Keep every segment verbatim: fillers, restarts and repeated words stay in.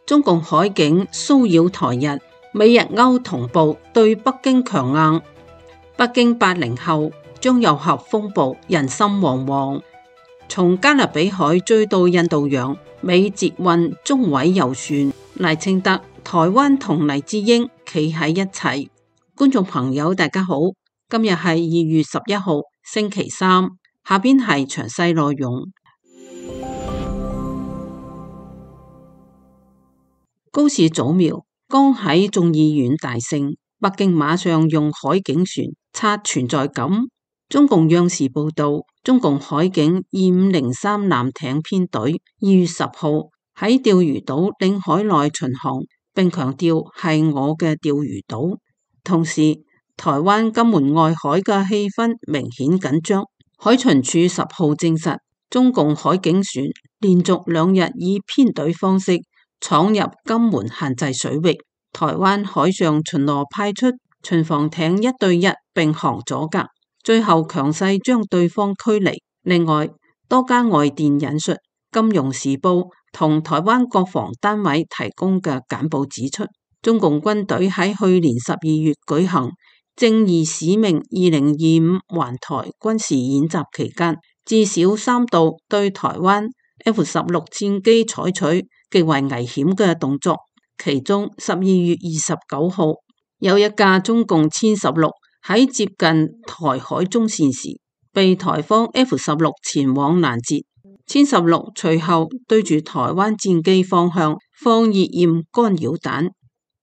中共海警騷擾台日，美日歐同步對北京強硬。北京八零後張又俠風暴，人心惶惶。從加勒比海追到印度洋，美捷運中委遊船，賴清德、台灣同黎智英企喺一齊。觀眾朋友大家好，今日係二月十一號星期三，下邊係詳細內容。高市早苗剛喺眾議院大勝，北京馬上用海警船刷存在感。中共央視報道，中共海警二五零三艦艇編隊二月十號喺釣魚島領海內巡航，並強調係我嘅釣魚島。同時，台灣金門外海嘅氣氛明顯緊張。海巡署十號證實，中共海警船連續兩日以編隊方式闖入金門限制水域，台灣海上巡邏派出巡防艇一對一並航阻隔，最後強勢將對方驅離。另外，多家外電引述《金融時報》同台灣國防單位提供嘅簡報指出，中共軍隊喺去年十二月舉行正義使命二零二五環台軍事演習期間，至少三度對台灣 F 十六戰機採取極為危險嘅動作，其中十二月二十九號有一架中共殲十六喺接近台海中線時，被台方 F 十六前往攔截。殲十六隨後對住台灣戰機方向放熱焰干擾彈，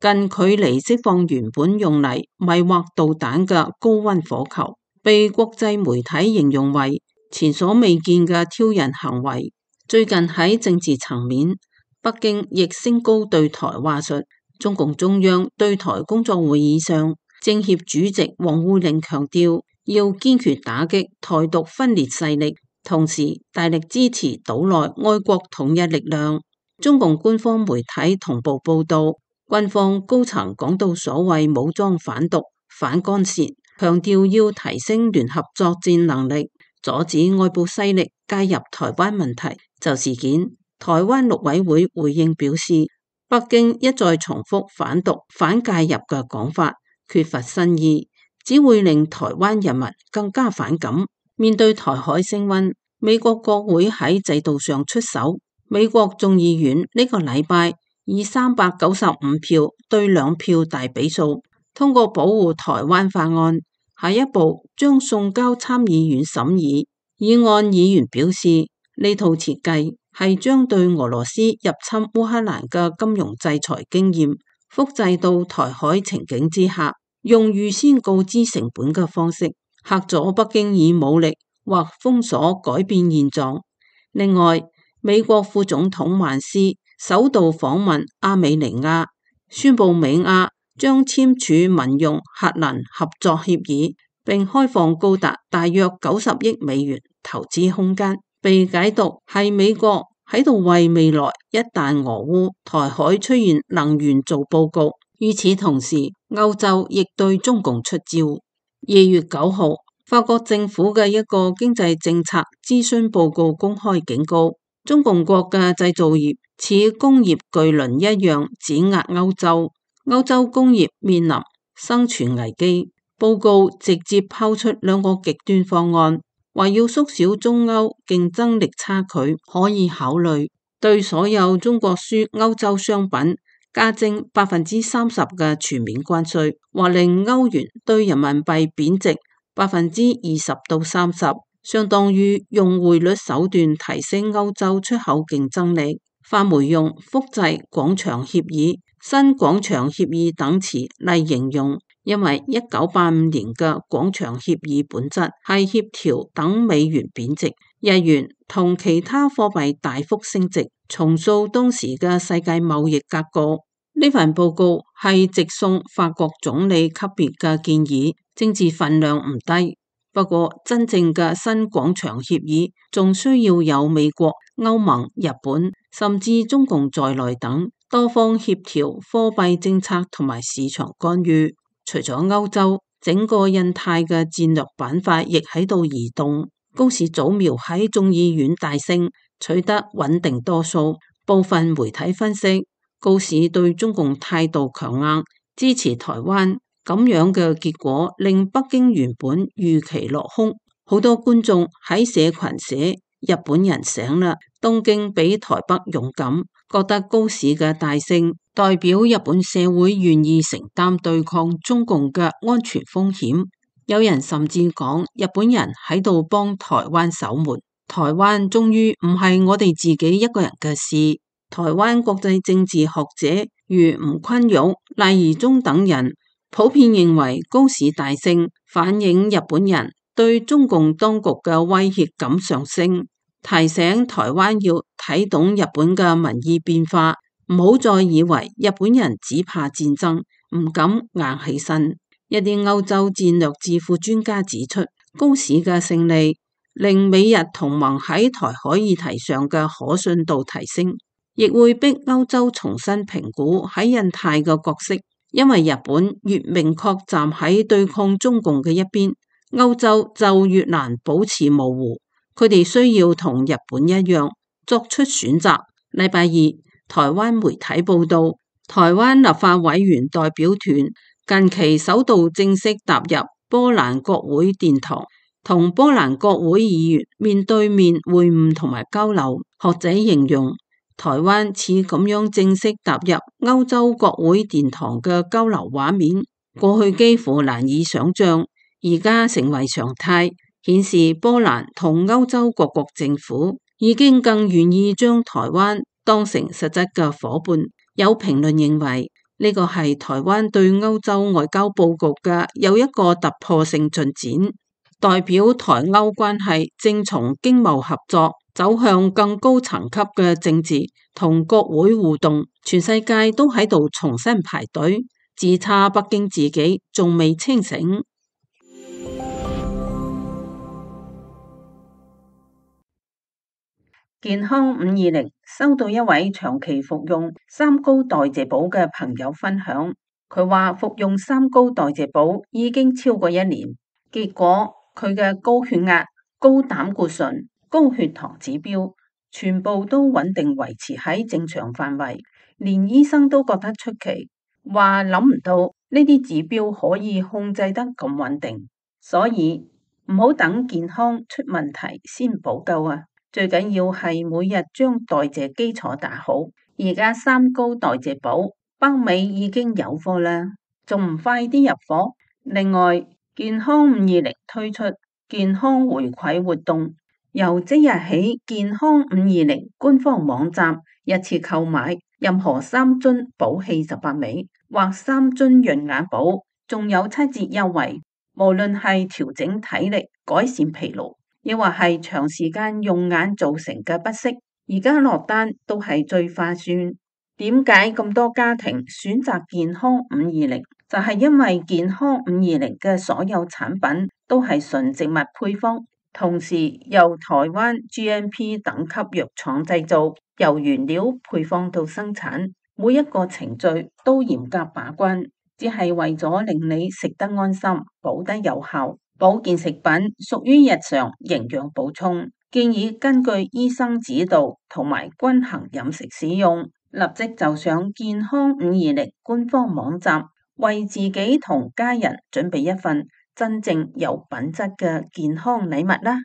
近距離釋放原本用嚟迷惑導彈嘅高溫火球，被國際媒體形容為前所未見嘅挑釁行為。最近喺政治層面，北京亦升高對台話術。中共中央對台工作會議上，政協主席王滬寧強調要堅決打擊台獨分裂勢力，同時大力支持島內愛國統一力量。中共官方媒體同步報道，軍方高層講到所謂武裝反獨、反干涉，強調要提升聯合作戰能力，阻止外部勢力介入台灣問題。就事件，台灣陸委會回應表示，北京一再重複反獨、反介入嘅講法，缺乏新意，只會令台灣人民更加反感。面對台海升溫，美國國會喺制度上出手。美國眾議院呢個禮拜以三百九十五票對兩票大比數通過保護台灣法案，下一步將送交參議院審議。議案議員表示，呢套設計係將對俄羅斯入侵烏克蘭嘅金融制裁經驗複製到台海情景之下，用預先告知成本嘅方式嚇阻北京以武力或封鎖改變現狀。另外，美國副總統萬斯首度訪問亞美尼亞，宣布美亞將簽署民用核能合作協議，並開放高達大約九十億美元投資空間，被解讀係美國喺度為未來一旦俄烏台海出現能源做報告。與此同時，歐洲亦對中共出招。二月九號，法國政府嘅一個經濟政策諮詢報告公開警告，中共國嘅製造業似工業巨輪一樣碾壓歐洲，歐洲工業面臨生存危機。報告直接拋出兩個極端方案，話要縮小中歐競爭力差距，可以考慮對所有中國輸歐洲商品加徵百分之三十嘅全面關稅，或令歐元對人民幣貶值百分之二十到三十，相當於用匯率手段提升歐洲出口競爭力。法媒用複製廣場協議、新廣場協議等詞嚟形容，因為一九八五年嘅廣場協議本質係協調等美元貶值，日元同其他貨幣大幅升值，重塑當時嘅世界貿易格局。呢份報告係直送法國總理級別嘅建議，政治分量唔低。不過真正嘅新廣場協議仲需要有美國、歐盟、日本甚至中共在內等多方協調貨幣政策同埋市場干預。除咗歐洲，整個印太嘅戰略板塊亦喺度移動。高市早苗喺眾議院大勝，取得穩定多數。部分媒體分析，高市對中共態度強硬，支持台灣，咁樣嘅結果令北京原本預期落空。好多觀眾喺社群寫日本人醒啦，東京比台北勇敢，覺得高市嘅大勝代表日本社會願意承擔對抗中共嘅安全風險。有人甚至講日本人喺度幫台灣守門，台灣終於唔係我哋自己一個人嘅事。台灣國際政治學者如吳坤玉、賴宜中等人普遍認為高市大勝反映日本人對中共當局嘅威脅感上升，提醒台灣要睇懂日本嘅民意變化，唔好再以為日本人只怕戰爭，唔敢硬起身。一啲歐洲戰略智庫專家指出，高市嘅勝利令美日同盟喺台海議題上嘅可信度提升，亦會逼歐洲重新評估喺印太嘅角色，因為日本越明確站喺對抗中共嘅一邊，歐洲就越難保持模糊，佢哋需要同日本一樣作出選擇。禮拜二，台灣媒體報道，台灣立法委員代表團近期首度正式踏入波蘭國會殿堂，同波蘭國會議員面對面會晤同埋交流。學者形容台灣似咁樣正式踏入歐洲國會殿堂嘅交流畫面，過去幾乎難以想象，而家成為常態，顯示波蘭同歐洲各國政府已經更願意將台灣當成實質嘅夥伴。有評論認為呢個係台灣對歐洲外交佈局嘅又一個突破性進展，代表台歐關係正從經貿合作走向更高層級嘅政治同國會互動。全世界都喺度重新排隊，只差北京自己仲未清醒。健康五二零收到一位長期服用三高代謝寶嘅朋友分享，佢話服用三高代謝寶已經超過一年，結果佢嘅高血壓、高膽固醇、高血糖指標全部都穩定維持喺正常範圍，連醫生都覺得出奇，話諗唔到呢啲指標可以控制得咁穩定，所以唔好等健康出問題先補救啊！最緊要係每日將代謝基礎打好。而家三高代謝寶北美已經有貨啦，仲唔快啲入貨？另外，健康五二零推出健康回饋活動，由即日起，健康五二零官方網站一次購買任何三樽寶氣十八味或三樽潤眼寶，仲有七折優惠。無論係調整體力、改善疲勞，亦或係長時間用眼造成嘅不適，而家落單都係最划算。點解咁多家庭選擇健康五二零？就係因為健康五二零嘅所有產品都係純植物配方，同時由台灣 G M P 等級藥廠製造，由原料配方到生產，每一個程序都嚴格把關，只係為咗令你食得安心、補得有效。保健食品屬於日常營養補充，建議根據醫生指導同埋均衡飲食使用。立即就上健康五二零官方網站，為自己同家人準備一份真正有品質嘅健康禮物啦！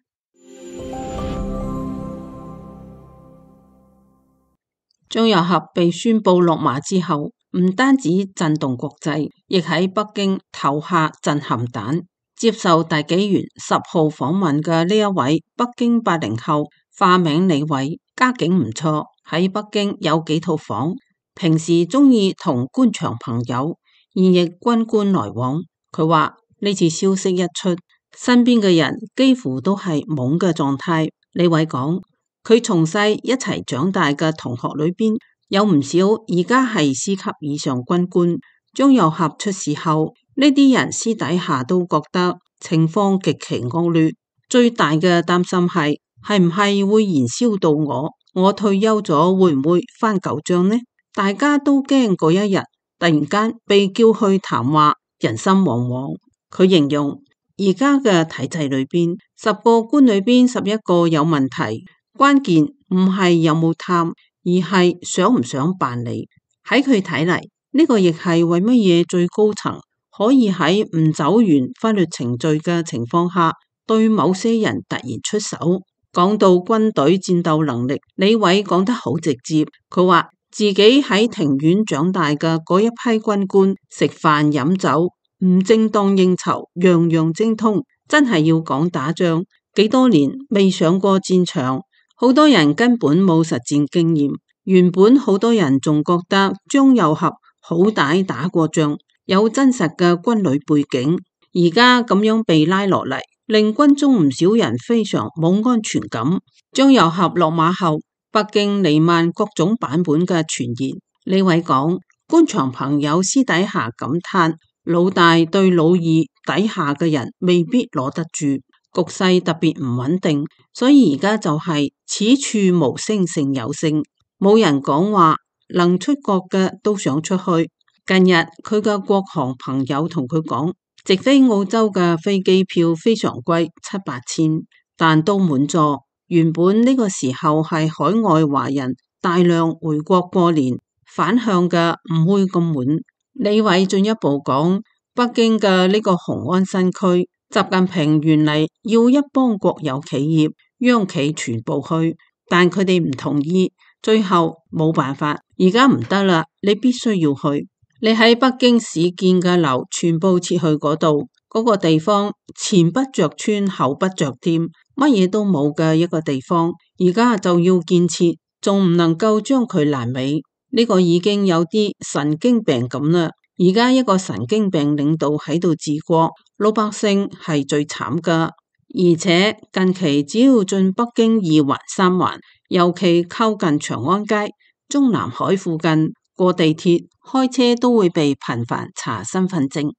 張又俠被宣布落馬之後，唔單止震動國際，亦喺北京投下震撼彈。接受大紀元十號訪問嘅呢一位北京八零後，化名李偉，家境唔錯，喺北京有幾套房，平時中意同官場朋友、現役軍官來往。佢話呢次消息一出，身邊嘅人幾乎都係懵嘅狀態。李偉講，佢從細一齊長大嘅同學裏邊，有唔少而家係師級以上軍官。張又俠出事後，呢啲人私底下都覺得情況極其惡劣，最大嘅擔心係係唔係會燃燒到我？我退休咗會唔會翻舊賬呢？大家都驚嗰一日突然間被叫去談話，人心惶惶。佢形容而家嘅體制裏邊，十個官裏邊十一個有問題，關鍵唔係有冇貪，而係想唔想辦理。喺佢睇嚟，呢個亦係為乜嘢最高層可以喺唔走完法律程序嘅情況下，對某些人突然出手。講到軍隊戰鬥能力，李偉講得好直接，佢話自己喺庭院長大嘅嗰一批軍官，食飯飲酒，唔正當應酬，樣樣精通，真係要講打仗，幾多年未上過戰場，好多人根本冇實戰經驗。原本好多人仲覺得張又俠好歹打過仗，有真實嘅軍旅背景，而家咁樣被拉落嚟，令軍中唔少人非常冇安全感。張又俠落馬後，北京彌漫各種版本嘅傳言。李偉講，官場朋友私底下感嘆，老大對老二底下嘅人未必攞得住，局勢特別唔穩定，所以而家就係此處無聲勝有聲，冇人講話，能出國嘅都想出去。近日佢嘅國航朋友同佢講，直飛澳洲嘅飛機票非常貴，七八千，但都滿座。原本呢個時候係海外華人大量回國過年，反向嘅唔會咁滿。李偉進一步講，北京嘅呢個雄安新區，習近平原嚟要一幫國有企業、央企全部去，但佢哋唔同意，最後冇辦法，而家唔得啦，你必須要去。你喺北京市建嘅樓全部撤去嗰度，嗰個地方前不着村後不着店，乜嘢都冇嘅一個地方，而家就要建設，仲唔能夠將佢爛尾？呢個已經有啲神經病咁啦。而家一個神經病領導喺度治國，老百姓係最慘噶。而且近期只要進北京二環三環，尤其靠近長安街、中南海附近，過地鐵、開車都會被頻繁查身份證，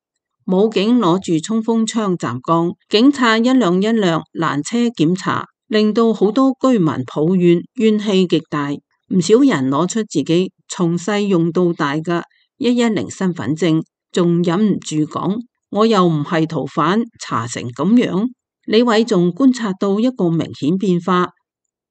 武警攞住衝鋒槍站崗，警察一輛一輛攔車檢查，令到好多居民抱怨，怨氣極大。唔少人攞出自己從細用到大嘅一一零身份證，仲忍唔住講，我又唔係逃犯，查成咁樣。李偉仲觀察到一個明顯變化，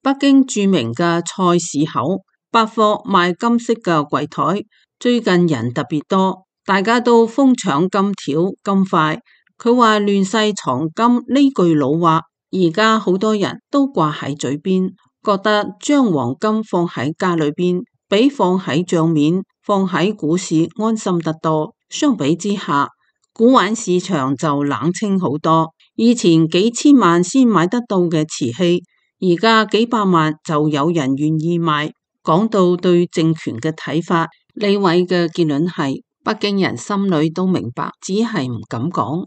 北京著名嘅菜市口百貨賣金飾嘅櫃台，最近人特別多，大家都瘋搶金條金塊。佢話亂世藏金呢句老話，而家好多人都掛喺嘴邊，覺得將黃金放喺家裏邊，比放喺賬面、放喺股市安心得多。相比之下，古玩市場就冷清好多。以前幾千萬先買得到嘅瓷器，而家幾百萬就有人願意買。講到對政權嘅睇法，李偉嘅結論係北京人心裏都明白，只係唔敢講。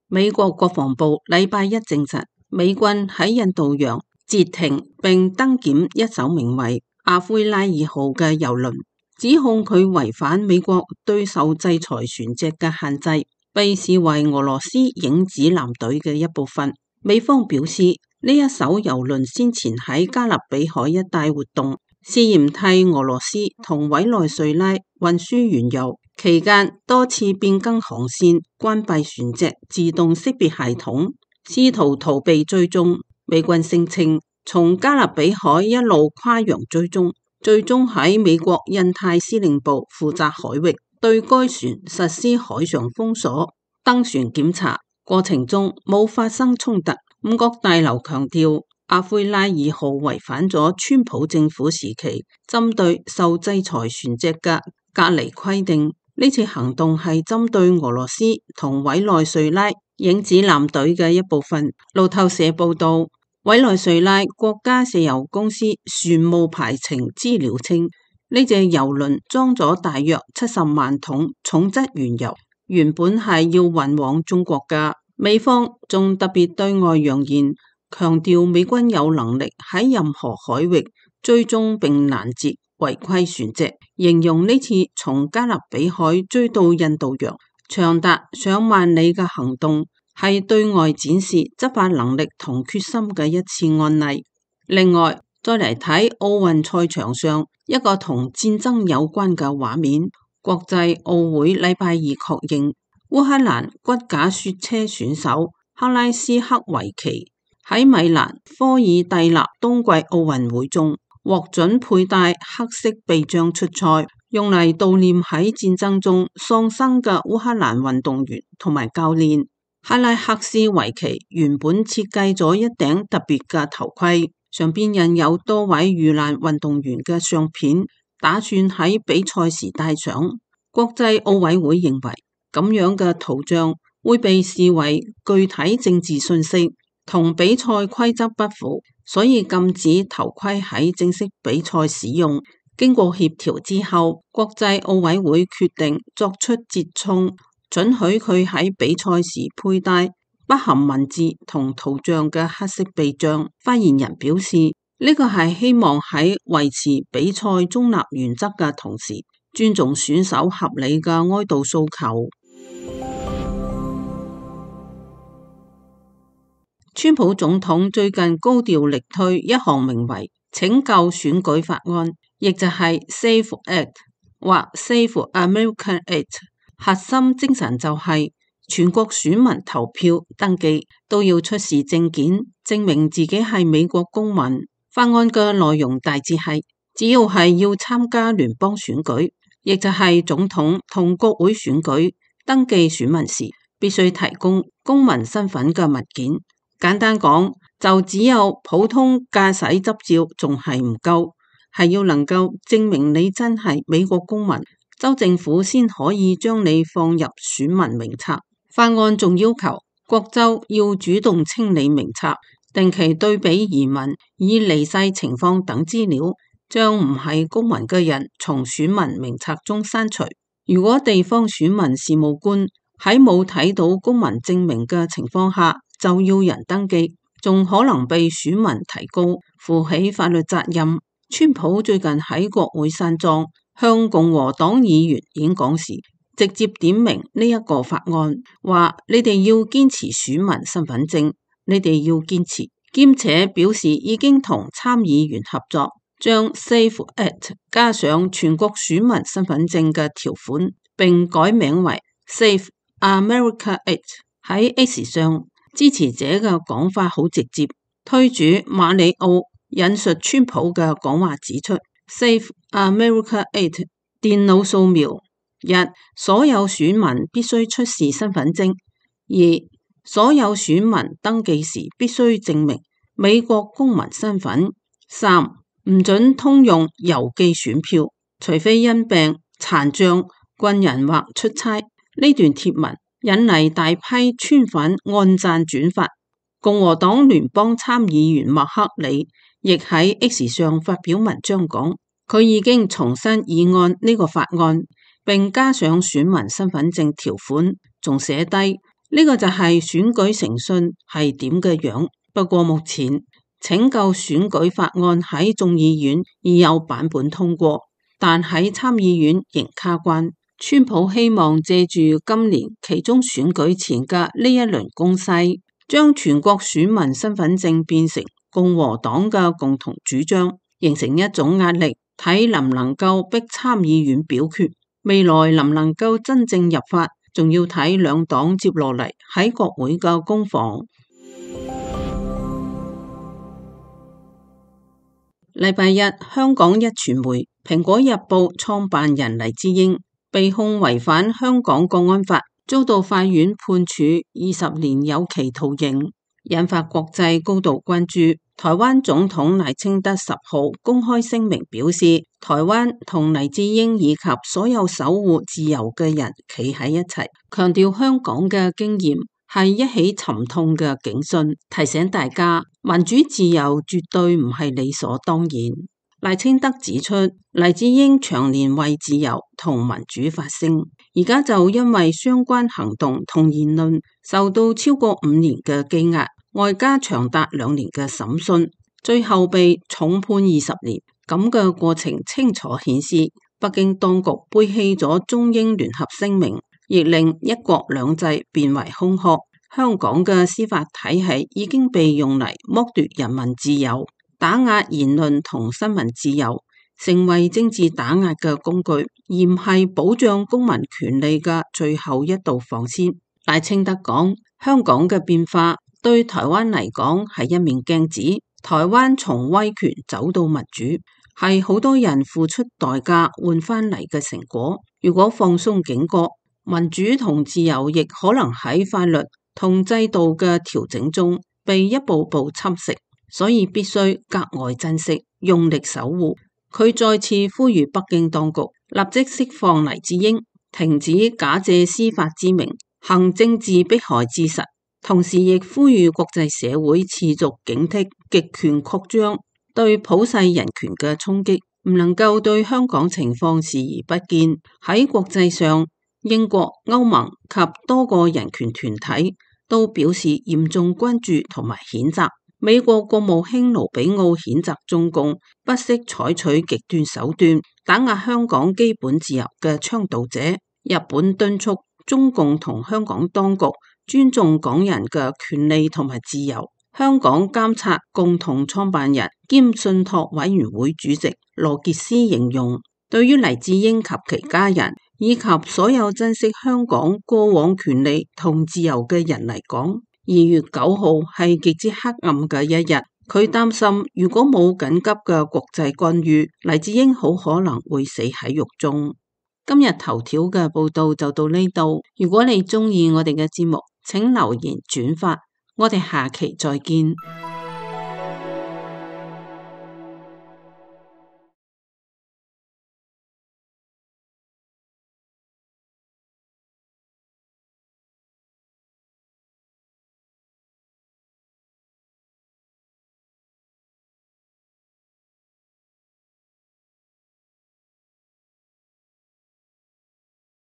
美國國防部禮拜一證實，美軍喺印度洋截停並登檢一艘名為阿奎拉二號嘅油輪，指控佢違反美國對受制裁船隻嘅限制，被視為俄羅斯影子艦隊嘅一部分。美方表示，呢一艘油輪先前喺加勒比海一帶活動，試驗替俄羅斯同委內瑞拉運輸原油，期間多次變更航線，關閉船隻自動識別系統，試圖逃避追蹤。美軍聲稱從加勒比海一路跨洋追蹤，最終喺美國印太司令部負責海域對該船實施海上封鎖，登船檢查過程中冇發生衝突。五角大樓強調，阿奎拉二號違反咗川普政府時期針對受制裁船隻嘅隔離規定。呢次行動係針對俄羅斯同委內瑞拉影子艦隊嘅一部分。路透社報道，委內瑞拉國家石油公司船務排程資料稱，呢隻油輪裝咗大約七十萬桶重質原油，原本係要運往中國嘅。美方仲特別對外揚言，強調美軍有能力喺任何海域追蹤並攔截違規船隻，形容呢次從加勒比海追到印度洋長達上萬里嘅行動，係對外展示執法能力同決心嘅一次案例。另外，再嚟睇奧運賽場上一個同戰爭有關嘅畫面，國際奧會禮拜二確認，烏克蘭骨架雪車選手克拉斯克維奇喺米蘭科爾蒂納冬季奧運會中獲准佩戴黑色臂章出賽，用嚟悼念喺戰爭中喪生嘅烏克蘭運動員同埋教練。哈拉克斯維奇原本設計咗一頂特別嘅頭盔，上邊印有多位遇難運動員嘅相片，打算喺比賽時戴上。國際奧委會認為咁樣嘅圖像會被視為具體政治信息，同比賽規則不符，所以禁止頭盔喺正式比賽使用。經過協調之後，國際奧委會決定作出折衷，准許佢喺比賽時佩戴不含文字同圖像嘅黑色臂章。發言人表示，呢個係希望喺維持比賽中立原則嘅同時，尊重選手合理嘅哀悼訴求。川普總統最近高調力推一項名為拯救選舉法案，亦就係 Safe Act 或 Save America Act， 核心精神就係全國選民投票登記都要出示證件，證明自己係美國公民。法案嘅內容大致係，只要係要參加聯邦選舉，亦就係總統同國會選舉，登記選民時必須提供公民身份嘅文件。簡單講，就只有普通駕駛執照仲係唔夠，係要能夠證明你真係美國公民，州政府先可以將你放入選民名冊。法案仲要求各州要主動清理名冊，定期對比移民、已離世情況等資料，將唔係公民嘅人從選民名冊中刪除。如果地方選民事務官喺冇睇到公民證明嘅情況下就要人登記，仲可能被選民提告，負起法律責任。川普最近喺國會山莊向共和黨議員演講時，直接點名呢一個法案，話你哋要堅持選民身份證，你哋要堅持，兼且表示已經同參議員合作，將 Safe Act 加上全國選民身份證嘅條款，並改名為 Save America Act。喺 X 上，支持者嘅講法好直接，推主馬里奧引述川普嘅講話指出 Save America Act 電腦掃描，一，所有選民必須出示身份證；二，所有選民登記時必須證明美國公民身份；三，唔准通用郵寄選票，除非因病、殘障、軍人或出差。呢段貼文引嚟大批川粉按讚轉發。共和黨聯邦參議員麥克里亦喺 X 上發表文章講，佢已經重新議案呢個法案，並加上選民身份證條款，仲寫低呢個就係選舉誠信係點嘅樣。不過目前拯救選舉法案喺眾議院已有版本通過，但喺參議院仍卡關。川普希望借住今年期中選舉前嘅呢一輪攻勢，將全國選民身份證變成共和黨嘅共同主張，形成一種壓力，睇能唔能夠逼參議院表決。未來能唔能夠真正入法，仲要睇兩黨接落嚟喺國會嘅攻防。禮拜一，香港一傳媒《蘋果日報》創辦人黎智英被控違反香港國安法，遭到法院判處二十年有期徒刑，引發國際高度關注。台灣總統賴清德十號公開聲明表示，台灣同黎智英以及所有守護自由嘅人企喺一齊，強調香港嘅經驗係一起沉痛嘅警訊，提醒大家民主自由絕對唔係理所當然。賴清德指出，黎智英長年為自由同民主發聲，而家就因為相關行動同言論受到超過五年嘅羈押，外加長達兩年嘅審訊，最後被重判二十年。咁嘅過程清楚顯示，北京當局背棄咗中英聯合聲明，亦令一國兩制變為空殼。香港嘅司法體系已經被用嚟剝奪人民自由，打壓言論同新聞自由，成為政治打壓嘅工具，而唔係保障公民權利嘅最後一道防線。賴清德講，香港嘅變化對台灣嚟講係一面鏡子。台灣從威權走到民主，係好多人付出代價換翻嚟嘅成果。如果放鬆警覺，民主同自由亦可能喺法律同制度嘅調整中被一步步侵蝕，所以必須格外珍惜，用力守護。佢再次呼籲北京當局立即釋放黎智英，停止假借司法之名行政治迫害之實，同時亦呼籲國際社會持續警惕極權擴張對普世人權嘅衝擊，唔能夠對香港情況視而不見。喺國際上，英國、歐盟及多個人權團體都表示嚴重關注同埋譴責。美國國務卿盧比奧譴責中共不惜採取極端手段打壓香港基本自由嘅倡導者。日本敦促中共同香港當局尊重港人嘅權利同埋自由。香港監察共同創辦人兼信託委員會主席羅傑斯形容，對於黎智英及其家人以及所有珍惜香港過往權利同自由嘅人嚟講，二月九號係極之黑暗嘅一日。佢擔心如果冇緊急嘅國際干預，黎智英好可能會死喺獄中。今日頭條嘅報道就到呢度。如果你中意我哋嘅節目，請留言轉發。我哋下期再見。